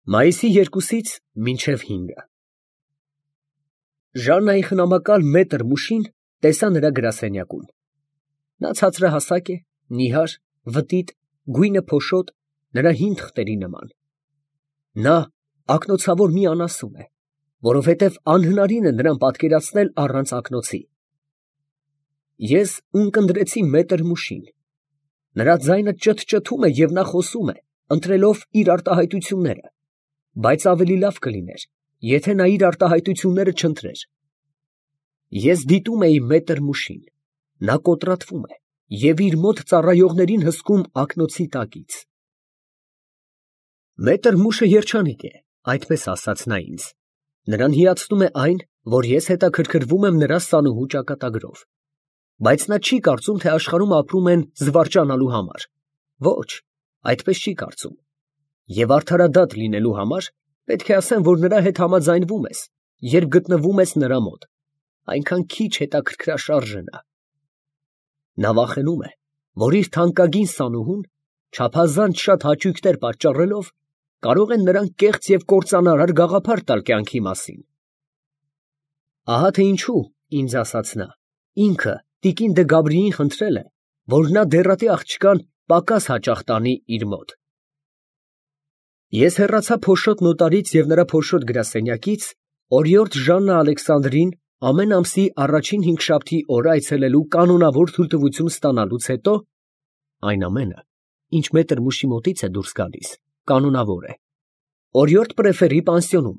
Մայիսի 2-ից մինչև 5-ը Ժաննայի խնամակալ մետր մուշին տեսա նրա գրասենյակում։ Նա ցածրահասակ է, նիհար, վտիտ, գույնը փոշոտ, նրա հին թղթերի նման։ Նա ակնոցավոր մի անասուն է, որովհետև անհնարին է նրան պատկերացնել առանց ակնոցի։ Ես ունկնդրեցի մետր մուշին։ Նրա ձայնը ճթճթում է և նա խոսում է, ընտրելով իր արտահայտությունները, բայց ավելի լավ կլիներ, եթե նա իր արտահայտությունները չընտրեր։ Ես դիտում էի մետր մուշին, նա կոտրատվում է և իր մոտ ծառայողներին հսկում ակնոցի տակից։ Մետր մուշը երջանիկ է, այդպես ասաց նա ինձ. նրան հիացնում է այն, որ ես հետաքրքրվում եմ նրա սանուհու ճակատագրով, բայց նա չի կարծում, թե աշխարհում ապրում են զվարճանալու համար, ոչ, այդպես չի կարծում, և արդարադատ լինելու համար պետք է ասեմ, որ նրա հետ համաձայնվում ես, երբ գտնվում ես նրա մոտ, այնքան քիչ հետաքրքրաշարժ է նա։ Նա վախենում է, որ իր թանկագին սանուհուն, չափազանց շատ հաճույքներ պատճառելով, կարող է նրան կեղծ և կործանարար գաղափար տալ կյանքի մասին։ Ահա թե ինչու, ինձ ասաց նա, ինքը տիկին դը Գաբրիին խնդրել է, որ նա դեռատի աղջկան պակաս հաճախ տանի իր մոտ։ Ես հեռացա փոշոտ նոտարից և նրա փոշոտ գրասենյակից, օրիորդ Ժաննա Ալեքսանդրին ամեն ամսի առաջին հինգշաբթի օրը այցելելու կանոնավոր թույլտվություն ստանալուց հետո, այն ամենը, ինչ մետր մուշի մոտից է դուրս գալիս, կանոնավոր է, օրիորդ պրեֆերի պանսիոնում,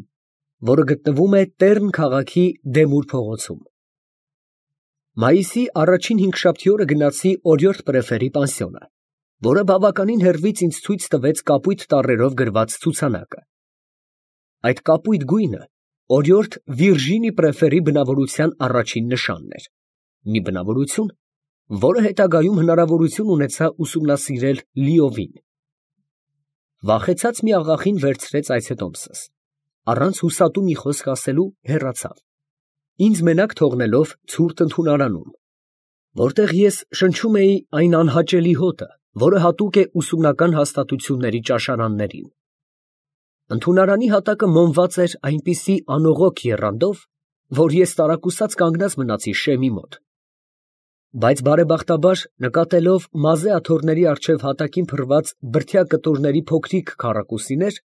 որը գտնվում է Տեռն քաղաքի Դեմուր փողոցում։ Մայիսի առաջին հինգշաբթի օրը գնացի օրիորդ պրեֆերի պանսիոնը, որը բավականին հեռվից ինձ ցույց տվեց կապույտ տառերով գրված ցուցանակը։ Այդ կապույտ գույնը օրիորդ Վիրջինի պրեֆերի բնավորության առաջին նշանն էր, մի բնավորություն, որը հետագայում հնարավորություն ունեցա ուսումնասիրել լիովին։ Վախեցած մի աղախին վերցրեց այցետոմսս, առանց հուսատու մի խոսք ասելու հեռացավ, ինձ մենակ թողնելով ցուրտ ընդունարանում, որտեղ ես շնչում էի այն անհաճելի հոտը, որը հատուկ է ուսումնական հաստատությունների ճաշարաններին։ Ընդունարանի հատակը մոմված էր այնպիսի անողոք եռանդով, որ ես տարակուսած կանգնած մնացի շեմի մոտ, բայց բարեբախտաբար նկատելով մազե աթոռների առջև հատակին փռված բրդյա կտորների փոքրիկ քառակուսիներ,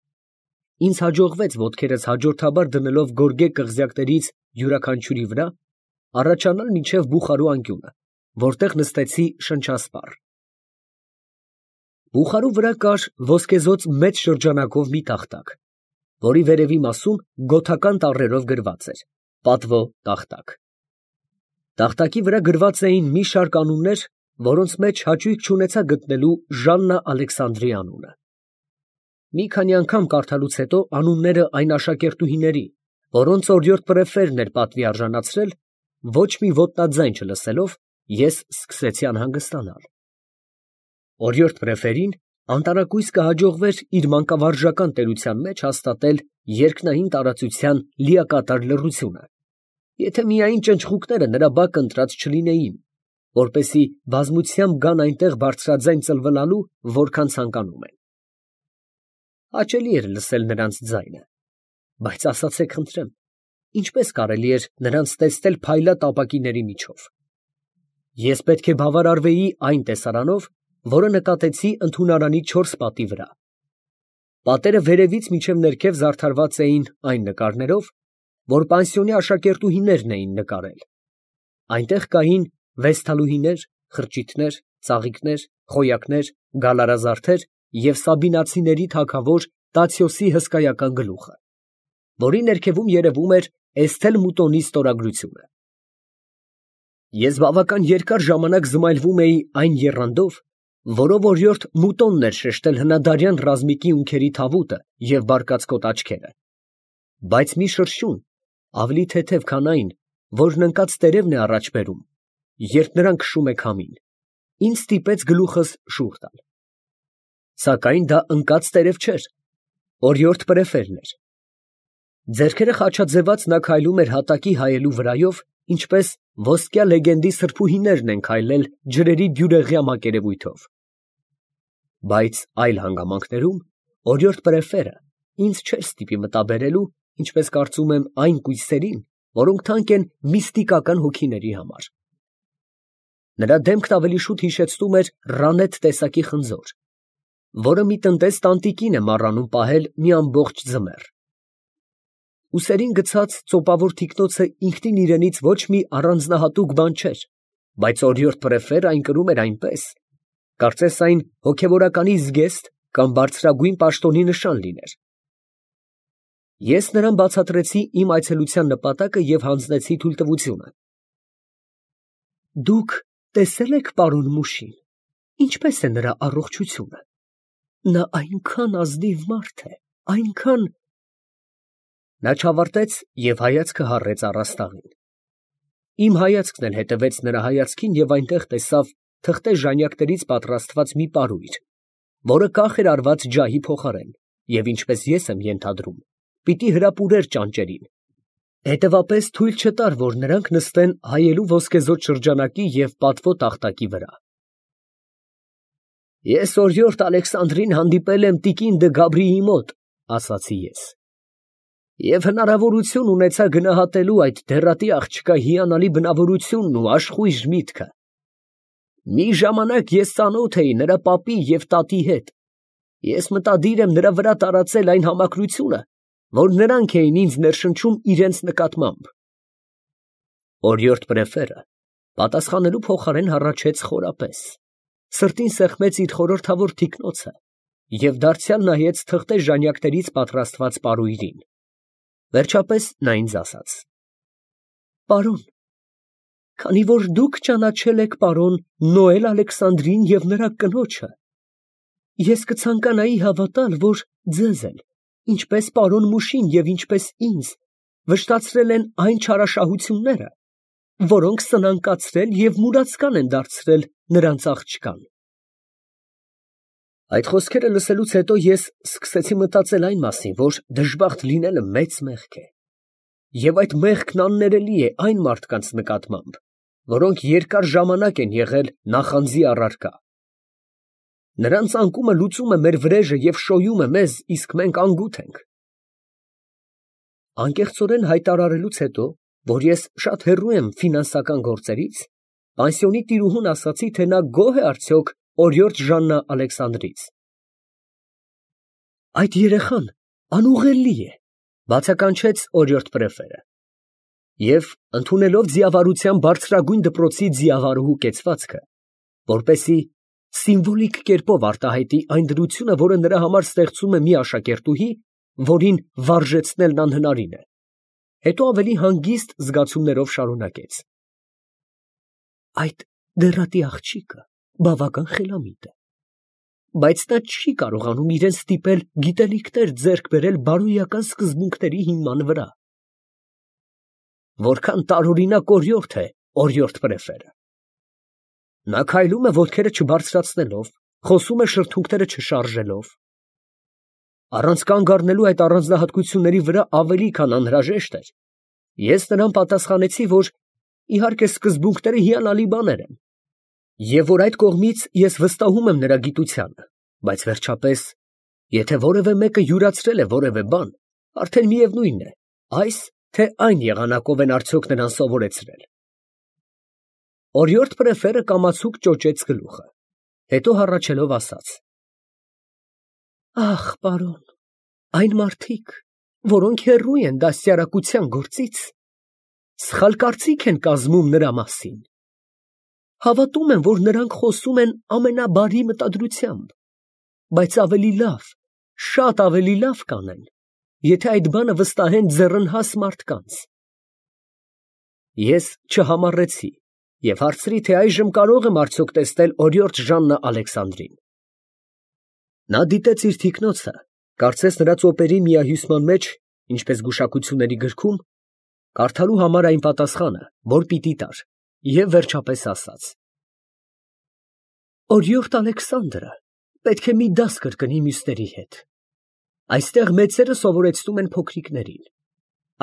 ինձ հաջողվեց ոտքերս հաջորդաբար դնելով գորգե կղզյակներից յուրաքանչյուրի վրա, առաջանալ մինչև բուխարու անկյունը, որտեղ նստեցի շնչասպառ։ Բուխարու վրա կար ոսկեզօծ մեծ շրջանակով մի տախտակ, որի վերևի մասում գոթական տառերով գրված էր «Պատվո տախտակ»։ Տախտակի վրա գրված էին մի շարք անուններ, որոնց մեջ հաճույք չունեցա գտնելու Ժաննա Ալեքսանդրի անունը։ Մի քանի անգամ կարդալուց հետո անունները այն աշակերտուհիների, որոնց օրիորդ պրեֆերն էր պատվի արժանացրել, ոչ մի ոտնաձայն չլսելով, ես սկսեցի անհանգստանալ։ Օրիորդ պրեֆերին անտարակույս կհաջողվեր իր մանկավարժական տերության մեջ հաստատել երկնային տարածության լիակատար լռությունը, եթե միայն ճնճղուկները նրա բակը ընտրած չլինեին, որպեսզի բազմությամբ գան այնտեղ բարձրաձայն ծլվլալու, որքան ցանկանում են։ Հաճելի էր լսել նրանց ձայնը, բայց ասացեք խնդրեմ, ինչպես կարելի էր նրանց տեսնել փայլատ ապակիների միջով։ Ես պետք է բավարարվեի այն տեսարանով, որը նկատեցի ընդունարանի 4 պատի վրա։ Պատերը վերևից մինչև ներքև զարդարված էին այն նկարներով, որ պանսիոնի աշակերտուհիներն էին նկարել։ Այնտեղ կային վեստալուհիներ, խրճիթներ, ծաղիկներ, խոյակներ, գալարազարդեր և սաբինացիների թագավոր Տացիոսի հսկայական գլուխը, որի ներքևում երևում էր Էսթել Մուտոնի ստորագրությունը։ Ես բավական երկար ժամանակ զմայլվում էի այն եռանդով, որով օրիորդ Մուտոնն էր շեշտել հնադարյան ռազմիկի ունքերի թավուտը և բարկացկոտ աչքերը, բայց մի շրշյուն, ավելի թեթև, քան այն, որն ընկած տերևն է առաջ բերում, երբ նրան քշում է քամին, ինձ ստիպեց գլուխս շուռ տալ։ Սակայն դա ընկած տերև չէր, օրիորդ պրեֆերն էր։ Ձեռքերը խաչաձևած նա քայլում էր հատակի հայելու վրայով, ինչպես ոսկյա լեգենդի սրբուհիներն են քայլել ջրերի բյուրեղյա մակերևույթով։ Բայց այլ հանգամանքներում օրիորդ պրեֆերը ինձ չէր ստիպի մտաբերելու, ինչպես կարծում եմ, այն կույսերին, որոնք թանկ են միստիկական հոգիների համար։ Նրա դեմքն ավելի շուտ հիշեցնում էր Ռանետ տեսակի խնձոր, որը մի տնտես տանտիկին է մառանում պահել մի ամբողջ ձմեռ։ Ուսերին գցած ծոպավոր թիկնոցը ինքնին իրենից ոչ մի առանձնահատուկ բան չէր, բայց օրիորդ Պրեֆերը այն կրում էր այնպես, կարծես այն հոգևորականի զգեստ կամ բարձրագույն պաշտոնի նշան լիներ։ Ես նրան բացատրեցի իմ այցելության նպատակը և հանձնեցի թույլտվությունը։ Դուք տեսե՞լ եք պարոն Մուշին, ինչպես է նրա առողջությունը։ Նա այնքան ազնիվ մարդ է, այնքան… Նա չավարտեց և հայացքը հառեց առաստաղին։ Իմ հայացքն էլ հետևեց նրա հայացքին և այնտեղ տեսավ թղթե ժանյակներից պատրաստված մի պարույր, որը կախ էր արված ջահի փոխարեն և, ինչպես ես եմ ենթադրում, պիտի հրապուրեր ճանճերին, հետևապես թույլ չտար, որ նրանք նստեն հայելու ոսկեզօծ շրջանակի և պատվո տախտակի վրա։ Ես օրիորդ Ալեքսանդրին հանդիպել եմ տիկին դը Գաբրիի մոտ, ասացի ես, և հնարավորություն ունեցա գնահատելու այդ դեռատի աղջկա հիանալի բնավորությունն ու աշխույժ միտքը։ Մի ժամանակ ես ծանոթ էի նրա պապի և տատի հետ։ Ես մտադիր եմ նրա վրա տարածել այն համակրությունը, որ նրանք էին ինձ ներշնչում իրենց նկատմամբ։ Օրիորդ Պրեֆերը պատասխանելու փոխարեն հառաչեց խորապես, սրտին սեղմեց իր խորհրդավոր թիկնոցը և դարձյալ նայեց թղթե ժանյակներից պատրաստված պարույրին։ Վերջապես նա ինձ ասաց. Պարոն, քանի որ դուք ճանաչել եք պարոն Նոել Ալեքսանդրին և նրա կնոջը, ես կցանկանայի հավատալ, որ ձեզ էլ, ինչպես պարոն Մուշին և ինչպես ինձ, վշտացրել են այն չարաշահությունները, որոնք սնանկացրել և մուրացկան են դարձրել նրանց աղջկան։ Այդ խոսքերը լսելուց հետո ես սկսեցի մտածել այն մասին, որ դժբախտ լինելը մեծ մեղք է, և այդ մեղքն աններելի է այն մարդկանց նկատմամբ, որոնք երկար ժամանակ են եղել նախանձի առարկա։ Նրանց անկումը լուծում է մեր վրեժը և շոյում է մեզ, իսկ մենք անգութ ենք։ Անկեղծորեն հայտարարելուց հետո, որ ես շատ հեռու եմ ֆինանսական գործերից, պանսիոնի տիրուհուն ասացի, թե նա գոհ է արդյոք օրիորդ Ժաննա Ալեքսանդրից։ Այդ երեխան անուղղելի է, բացականչեց օրիորդ Պրեֆերը, և ընդունելով ձիավարության բարձրագույն դպրոցի ձիավարուհու կեցվածքը, որպեսզի սիմվոլիկ կերպով արտահայտի այն դրությունը, որը նրա համար ստեղծում է մի աշակերտուհի, որին վարժեցնելն անհնարին է, հետո ավելի հանգիստ զգացումներով շարունակեց. Այդ դեռատի աղջիկը բավական խելամիտ է, բայց նա չի կարողանում իրան ստիպել գիտելիքներ ձեռք բերել բարոյական սկզբունքների հիման վրա։ Որքան տարօրինակ օրիորդ է օրիորդ Պրեֆերը։ Նա քայլում է ոտքերը չբարձրացնելով, խոսում է շրթունքները չշարժելով։ Առանց կանգ առնելու այդ առանձնահատկությունների վրա ավելի քան անհրաժեշտ էր, ես նրան պատասխանեցի, որ իհարկե սկզբունքները հիանալի բաներ են, և որ այդ կողմից ես վստահում եմ նրա գիտությանը, բայց վերջապես, եթե որևէ մեկը յուրացրել է որևէ բան, արդեն միևնույն է, այս թե այն եղանակով են արդյոք նրան սովորեցրել։ Օրիորդ Պրեֆերը կամացուկ ճոճեց գլուխը, հետո հառաչելով ասաց. Ախ, պարոն, այն մարդիկ, որոնք հեռու են դաստիարակության գործից, սխալ կարծիք են կազմում նրա մասին։ Հավատում եմ, որ նրանք խոսում են ամենաբարի մտադրությամբ, բայց ավելի լավ, շատ ավելի լավ կանեն, եթե այդ բանը վստահեն ձեռնհաս մարդկանց։ Ես չհամառեցի և հարցրի, թե այժմ կարո՞ղ եմ արդյոք տեսնել օրիորդ Ժաննա Ալեքսանդրին։ Նա դիտեց իր թիկնոցը, կարծես նրա ծոպերի միահյուսման մեջ, ինչպես գուշակությունների գրքում, կարդալու համար այն պատասխանը, որ պիտի տար, և վերջապես ասաց. Օրիորդ Ալեքսանդրը պետք է մի դաս կրկնի մյուսների հետ։ Այստեղ մեծերը սովորեցնում են փոքրիկներին,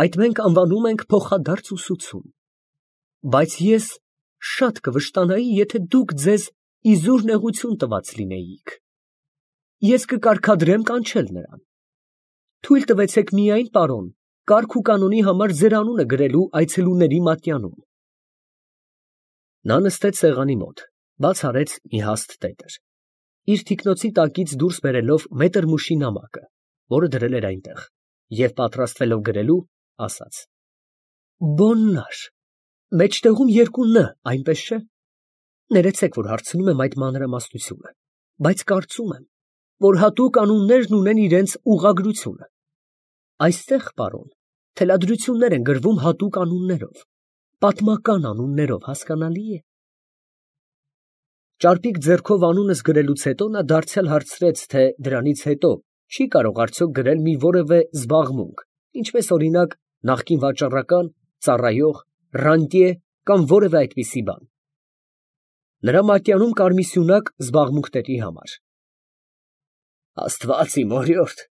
այդ մենք անվանում ենք փոխադարձ ուսուցում, բայց ես շատ կվշտանայի, եթե դուք ձեզ իզուր նեղություն տված լինեիք։ Ես կկարգադրեմ կանչել նրան։ Թույլ տվեցեք միայն, պարոն, կարգ ու կանոնի համար ձեր անունը գրելու այցելուների մատյանում։ Նա նստեց սեղանի մոտ, բաց արեց մի հաստ տետր, իր թիկնոցի տակից դուրս բերելով մետր մուշի նամակը, որը դրել էր այնտեղ, և պատրաստվելով գրելու, ասաց. Բոննար, մեջտեղում երկու ն, այնպես չէ։ Ներեցեք, որ հարցնում եմ այդ մանրամասնությունը, բայց կարծում եմ, որ հատուկ անուններն ունեն իրենց ուղղագրությունը։ Այստեղ, պարոն, թելադրություններ են գրվում հատուկ անուններով, պատմական անուններով, հասկանալի է։ Ճարպիկ ձեռքով անունս գրելուց հետո նա դարձյալ հարցրեց, թե դրանից հետո չի կարող արդյոք գրել մի որևէ զբաղմունք, ինչպես օրինակ նախկին վաճառական, ծառայող, ռանտյե կամ որևէ այդպիսի բան։ Նրա մատյանում կար մի սյունակ զբաղմունքների համար։ Աստված իմ օրիորդ,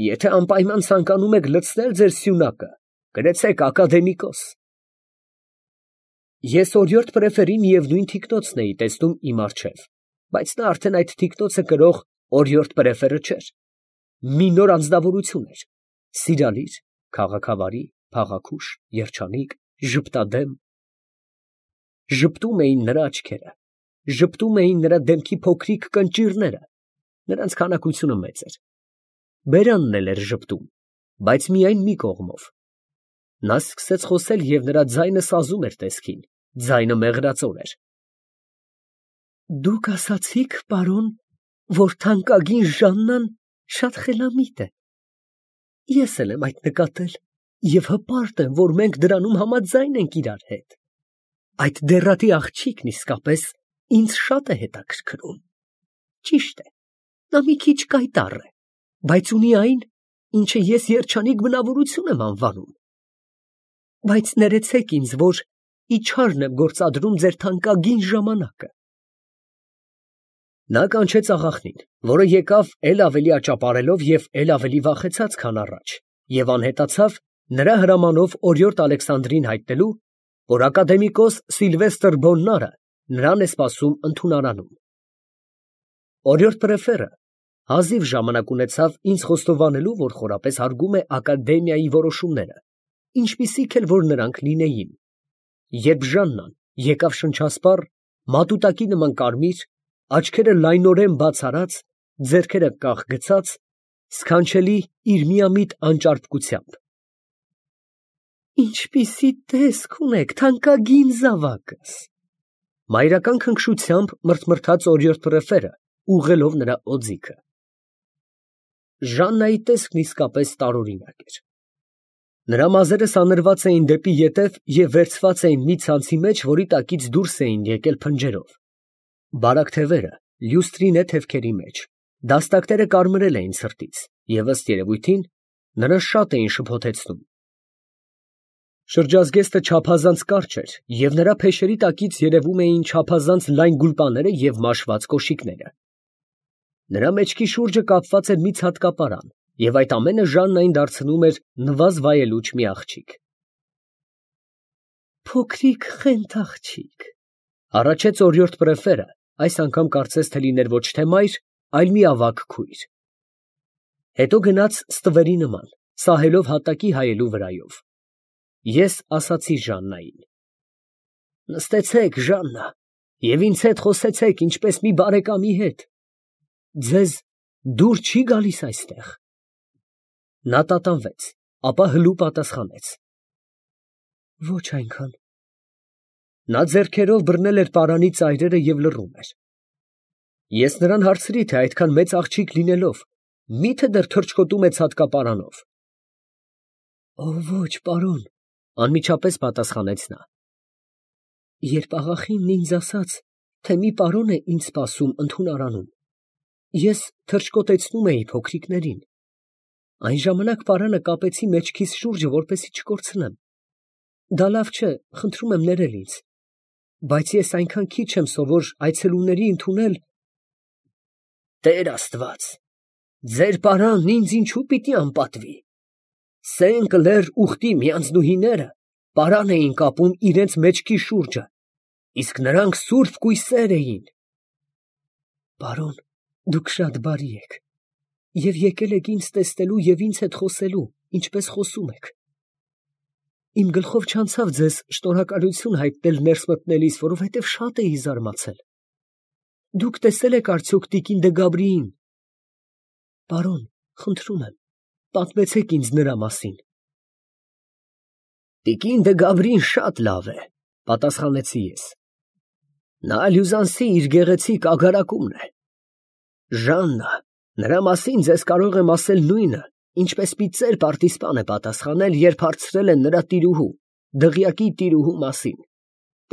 եթե անպայման ցանկանում եք լցնել ձեր սյունակը, գրեցեք ակադեմիկոս։ Ես օրիորդ պրեֆերի միևնույն թիկնոցն էի տեսնում իմ առջև, բայց նա արդեն այդ թիկնոցը կրող օրիորդ պրեֆերը չէր։ Մի նոր անձնավորություն էր, սիրալիր, քաղաքավարի, փաղաքուշ, երջանիկ, ժպտադեմ։ Ժպտում էին նրա աչքերը, ժպտում էին նրա դեմքի փոքրիկ կնճիռները, նրանց քանակությունը մեծ էր։ Բերանն էլ էր ժպտում, բայց միայն մի կողմով։ Նա սկսեց խոսել և նրա ձայնը սազում էր տեսքին, ձայնը մեղրածոր էր։ Դուք ասացիք, պարոն, որ թանկագին Ժաննան շատ խելամիտ է։ Ես էլ եմ այդ նկատել և հպարտ եմ, որ մենք դրանում համաձայն ենք իրար հետ։ Այդ դեռատի աղջիկն իսկապես ինձ շատ է հետաքրքրում։ Ճիշտ է, նա մի քիչ կայտառ է, բայց ունի այն, ինչը ես երջանիկ բնավորություն եմ անվանում։ Բայց ներեցեք ինձ, որ իչարն եմ գործադրում ձեր թանկագին ժամանակը։ Նա կանչեց աղախնին, որը եկավ էլ ավելի աճապարելով և էլ ավելի վախեցած, քան առաջ, և անհետացավ նրա հրամանով օրիորդ Ալեքսանդրին հայտնելու, որ ակադեմիկոս Սիլվեստր Բոննարը նրան է սպասում ընդունարանում։ Օրիորդ պրեֆերը հազիվ ժամանակ ունեցավ ինձ խոստովանելու, որ խորապես հարգում է ակադեմիայի որոշումները, ինչպիսիք էլ որ նրանք լինեին, երբ Ժաննան եկավ շնչասպառ, մատուտակի նման կարմիր, աչքերը լայնորեն բաց արած, ձեռքերը կախ գցած, սքանչելի իր միամիտ անճարպկությամբ։ Ինչպիսի տեսք ունեք, թանկագին զավակս, մայրական քնքշությամբ մրթմրթաց օրիորդ պրեֆերը, ուղղելով նրա օձիքը։ Ժաննայի տեսքն իսկապես տարօրինակ էր։ Նրա մազերը սանրված էին դեպի ետև և վերցված էին մի ցանցի մեջ, որի տակից դուրս էին եկել փնջերով։ Բարակ թևերը լյուստրի նետ թևքերի մեջ, դաստակները կարմրել էին ցրտից և ըստ երևույթին նրան շատ էին շփոթեցնում։ Շրջազգեստը չափազանց կարճ էր, և նրա փեշերի տակից երևում էին չափազանց լայն գուլպաները և մաշված կոշիկները։ Նրա մեջքի շուրջը կապված էր մի ցատկապարան, և այդ ամենը Ժաննային դարձնում էր նվազ վայելուչ մի աղջիկ։ Փոքրիկ խենթ աղջիկ, առաջեց օրիորդ պրեֆերը, այս անգամ կարծես թե լիներ ոչ թե մայր, այլ մի ավագ քույր։ Հետո գնաց ստվերի նման, սահելով հատակի հայելու վրայով։ Ես ասացի Ժաննային. նստեցեք, Ժաննա, և ինձ հետ խոսեցեք, ինչպես մի բարեկամի հետ։ Ձեզ դուր չի գալիս այստեղ։ Նա տատանվեց, ապա հլու պատասխանեց. ոչ այնքան։ Նա ձեռքերով բռնել էր պարանի ծայրերը և լռում էր։ Ես նրան հարցրի, թե այդքան մեծ աղջիկ լինելով, մի՞թե դեռ թռչկոտում է ցատկապարանով։ Ոչ, պարոն, անմիջապես պատասխանեց նա։ Երբ աղախինն ինձ ասաց, թե մի պարոն է ինձ սպասում ընդունարանում, ես թռչկոտեցնում էի փոքրիկներին։ Այն ժամանակ պարանը կապեցի մեջքիս շուրջը, որպեսզի չկորցնեմ։ Դա լավ չէ, խնդրում եմ ներել ինձ, բայց ես այնքան քիչ եմ սովոր այցելուների ընդունել։ Տեր Աստված, ձեր պարանն ինձ ինչու պիտի անպատվի։ Սենք լեռ ուխտի մի անձնուհիները պարան էին կապում իրենց մեջքի շուրջը, իսկ նրանք սուրբ կույսեր էին։ Պարոն, դուք շատ բարի եք։ Եվ եկել եք ինձ տեսնելու և ինձ հետ խոսելու, ինչպես խոսում եք։ Իմ գլխով չանցավ ձեզ շնորհակալություն հայտնել ներս մտնելիս, որովհետև շատ էի զարմացել։ Դուք տեսել եք արդյոք տիկին դե Գաբրիին։ Պարոն, խնդրում եմ, պատմեցեք ինձ նրա մասին։ Տիկին դե Գաբրին շատ լավ է, պատասխանեցի ես։ Նա Լյուզանսի իր գեղեցիկ ագարակումն է։ Ժաննա, նրա մասին ձեզ կարող եմ ասել նույնը, ինչպես մի ծեր պարտիզպան է պատասխանել, երբ հարցրել են նրա տիրուհու, դղյակի տիրուհու մասին։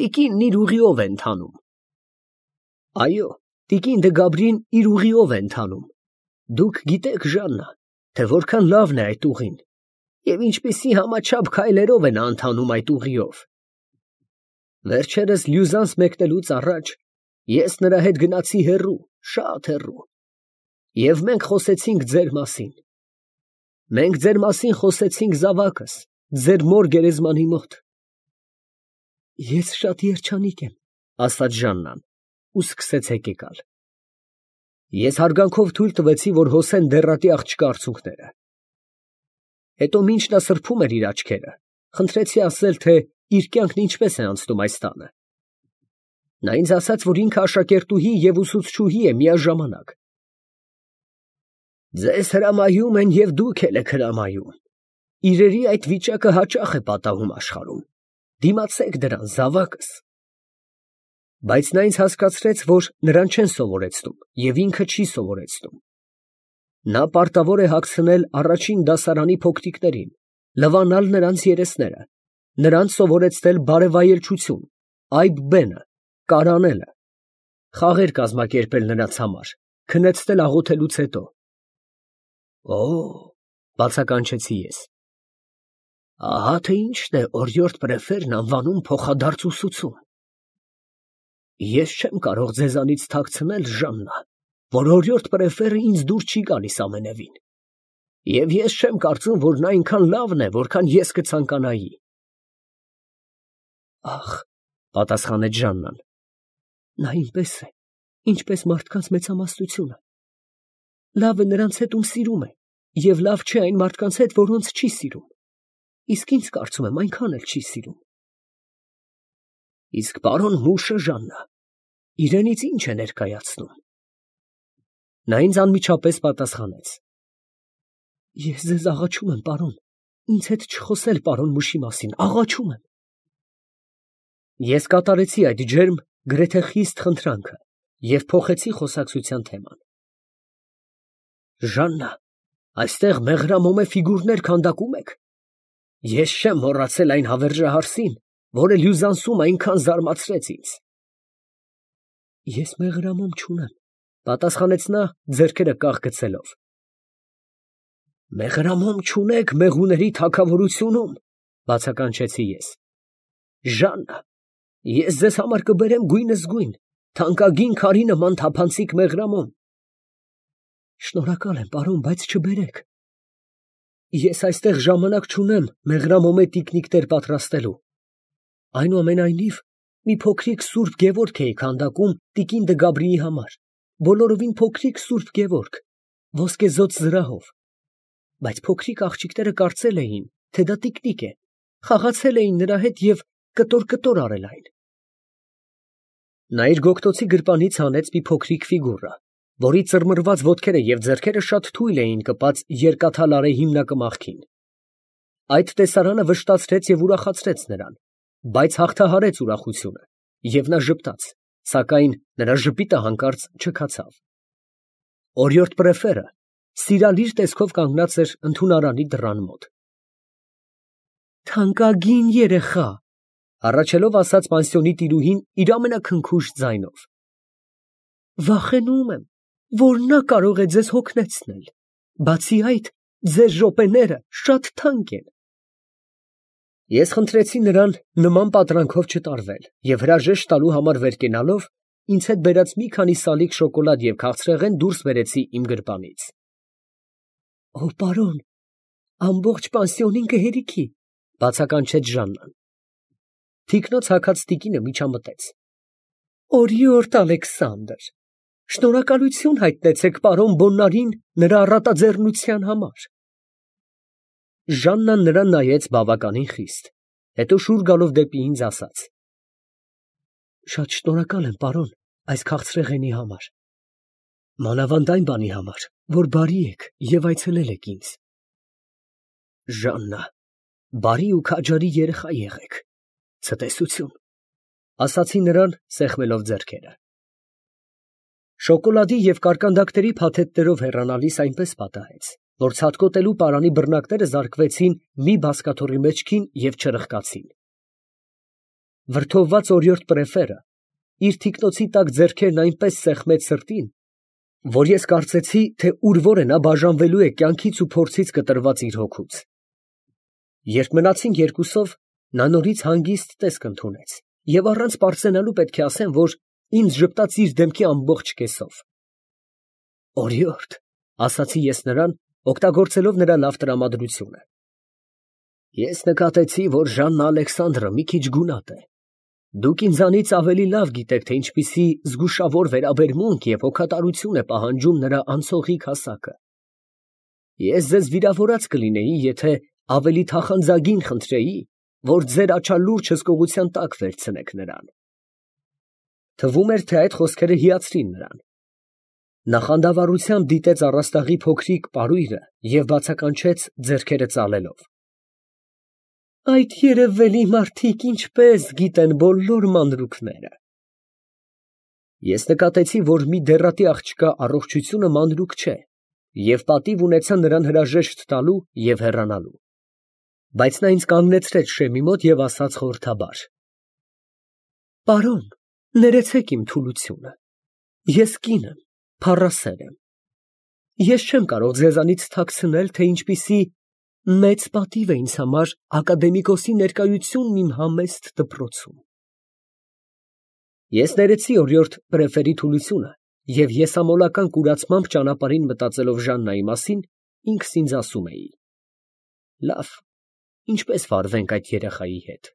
Տիկինն իր ուղիով է ընթանում։ Այո, տիկին դե Գաբրին իր ուղիով է ընթանում։ Դուք գիտեք, Ժաննա, թե որքան լավն է այդ ուղին, և ինչպիսի համաչափ քայլերով է նա ընթանում այդ ուղիով։ Վերջերս Լյուզանս մեկնելուց առաջ ես նրա հետ գնացի հեռու, շատ հեռու, և մենք խոսեցինք ձեր մասին։ Մենք ձեր մասին խոսեցինք զավակս, ձեր մոր գերեզմանի մոտ։ Ես շատ երջանիկ եմ, ասաց Ժաննան, ու սկսեց հեկեկալ։ Ես հարգանքով թույլ տվեցի, որ հոսեն դեռատի աղջկա արցունքները։ Հետո մինչ նա սրբում էր իր աչքերը, խնդրեցի ասել, թե իր կյանքն ինչպես է անցնում այս տանը։ Նա ինձ ասաց, որ ինքը աշակերտուհի և ուսուցչուհի է միաժամանակ։ Ձեզ հրամայում են և դուք էլ եք հրամայում։ Իրերի այդ վիճակը հաճախ է պատահում աշխարհում։ Դիմացեք դրան, զավակս։ Բայց նա ինձ հասկացրեց, որ նրան չեն սովորեցնում և ինքը չի սովորեցնում։ Նա պարտավոր է հագցնել առաջին դասարանի փոքրիկներին, լվանալ նրանց երեսները, նրանց սովորեցնել բարեվայելչություն, այբ բենը, կարանելը, խաղեր կազմակերպել նրանց համար, քնեցնել աղոթելուց հետո։ Օ, բացականչեցի ես։ Ահա թե ինչն է օրիորդ պրեֆերն անվանում փոխադարձ ուսուցում։ Ես չեմ կարող ձեզանից թաքցնել, Ժաննա, որ օրիորդ պրեֆերը ինձ դուր չի գալիս ամենևին։ Եվ ես չեմ կարծում, որ նա այնքան լավն է, որքան ես կցանկանայի։ Ախ, պատասխանեց Ժաննան, նա այնպես է, ինչպես մարդկանց մեծամասնությունը։ Լավ է նրանց հետ, ում սիրում է, և լավ չէ այն մարդկանց հետ, որոնց չի սիրում։ Իսկ ինձ կարծում եմ այնքան էլ չի սիրում։ Իսկ պարոն Մուշը, Ժաննա, իրենից ինչ է ներկայացնում։ Նա ինձ անմիջապես պատասխանեց. Ես ձեզ աղաչում եմ, պարոն, ինձ հետ չխոսել պարոն Մուշի մասին, աղաչում եմ։ Ես կատարեցի այդ ջերմ, գրեթե խիստ խնդրանքը և փոխեցի խոսակցության թեման։ Ժաննա, այստեղ մեղրամոմե ֆիգուրներ քանդակում եք։ Ես չեմ մոռացել այն հավերժահարսին, որը Լյուզանսում այնքան զարմացրեց ինձ։ Ես մեղրամոմ չունեմ, պատասխանեց նա, ձեռքերը կախ գցելով։ Մեղրամոմ չունեք մեղուների թագավորությունում, բացականչեցի ես։ Ժաննա, ես ձեզ համար կբերեմ գույնզգույն, թանկագին քարի նման թափանցիկ մեղրամոմ։ Շնորհակալ եմ, պարոն, բայց չբերեք։ Ես այստեղ ժամանակ չունեմ մեղրամոմե տիկնիկներ պատրաստելու։ Այնուամենայնիվ, մի փոքրիկ սուրբ Գևորգ էի քանդակում տիկին դե Գաբրիի համար, բոլորովին փոքրիկ սուրբ Գևորգ, ոսկեզօծ զրահով։ Բայց փոքրիկ աղջիկները կարծել էին, թե դա տիկնիկ է, խաղացել էին նրա հետ և կտոր արել այն։ Նա իր գոգտոցի գրպանից հանեց մի փոքրիկ ֆիգուրա, որի ծռմռված ոտքերը և ձեռքերը շատ թույլ էին կպած երկաթալարե հիմնակմախքին։ Այդ տեսարանը վշտացրեց և ուրախացրեց նրան, բայց հաղթահարեց ուրախությունը, և նա ժպտաց, սակայն նրա ժպիտը հանկարծ չքացավ։ Օրիորդ պրեֆերը սիրալիր տեսքով կանգնած էր ընդունարանի դռան մոտ։ Թանկագին երեխա, հառաչելով ասաց պանսիոնի տիրուհին իր ամենաքնքուշ ձայնով։ Վախենում եմ, որ նա կարող է ձեզ հոգնեցնել, բացի այդ, ձեր րոպեները շատ թանկ են։ Ես խնդրեցի նրան նման պատրանքով չտարվել և հրաժեշտ տալու համար վեր կենալով, ինձ հետ բերած մի քանի սալիկ շոկոլադ և քաղցրեղեն դուրս բերեցի իմ գրպանից։ Օ, պարոն, ամբողջ պանսիոնին կհերիքի, բացականչեց Ժաննան։ Թիկնոց հագած տիկինը միջամտեց։ Օրիորդ Ալեքսանդր, Շնորհակալություն հայտնեցեք պարոն Բոննարին նրա առատաձեռնության համար։ Ժաննան նրան նայեց բավականին խիստ, հետո շուռ գալով դեպի ինձ ասաց. Շատ շնորհակալ եմ, պարոն, այս քաղցրեղենի համար, մանավանդ այն բանի համար, որ բարի եք և այցելել եք ինձ։ Ժաննա, բարի ու քաջարի երեխա եղեք, ցտեսություն, ասացի նրան, սեղմելով ձեռքերը։ Շոկոլադի և կարկանդակների փաթեթներով հեռանալիս այնպես պատահեց, որ ցատկոտելու պարանի բռնակները զարկվեցին մի բազկաթոռի մեջքին և չրխկացին։ Վրդովված օրիորդ պրեֆերը իր թիկնոցի տակ ձեռքերն այնպես սեղմեց սրտին, որ ես կարծեցի, թե ուր որ է նա բաժանվելու է կյանքից ու փորձից կտրված իր հոգուց։ Երբ մնացինք երկուսով, նա նորից հանգիստ տեսք ընդունեց և առանց պարծենալու պետք է ասեմ, որ ինձ ժպտաց իր դեմքի ամբողջ կեսով։ Օրիորդ, ասացի ես նրան, օգտագործելով նրա լավ տրամադրությունը։ Ես նկատեցի, որ Ժաննա Ալեքսանդրը մի քիչ գունատ է։ Դուք ինձանից ավելի լավ գիտեք, թե ինչպիսի զգուշավոր վերաբերմունք և հոգատարություն է պահանջում նրա անցողիկ հասակը։ Ես ձեզ վիրավորած կլինեի, եթե ավելի թախանձագին խնդրեի, որ ձեր աչալուրջ հսկողության տակ վերցնեք նրան։ Թվում էր, թե այդ խոսքերը հիացրին նրան։ Նա խանդավառությամբ դիտեց առաստաղի փոքրիկ պարույրը և բացականչեց ձեռքերը ծալելով։ Այդ երևելի մարդիկ ինչպես գիտեն բոլոր մանրուքները։ Ես նկատեցի, որ մի դեռատի աղջկա առողջությունը մանրուք չէ և պատիվ ունեցա նրան հրաժեշտ տալու և հեռանալու։ Բայց նա ինձ կանգնեցրեց շեմի մոտ և ասաց խորհրդաբար. Պարոն, ներեցեք իմ թուլությունը, ես կին եմ, փառասեր եմ։ Ես չեմ կարող ձեզանից թաքցնել, թե ինչպիսի մեծ պատիվ է ինձ համար ակադեմիկոսի ներկայությունն իմ համեստ դպրոցում։ Ես ներեցի օրիորդ պրեֆերի թուլությունը և եսամոլական կուրացմամբ ճանապարհին մտածելով Ժաննայի մասին, ինքս ինձ ասում էի. լավ, ինչպես վարվենք այդ երեխայի հետ։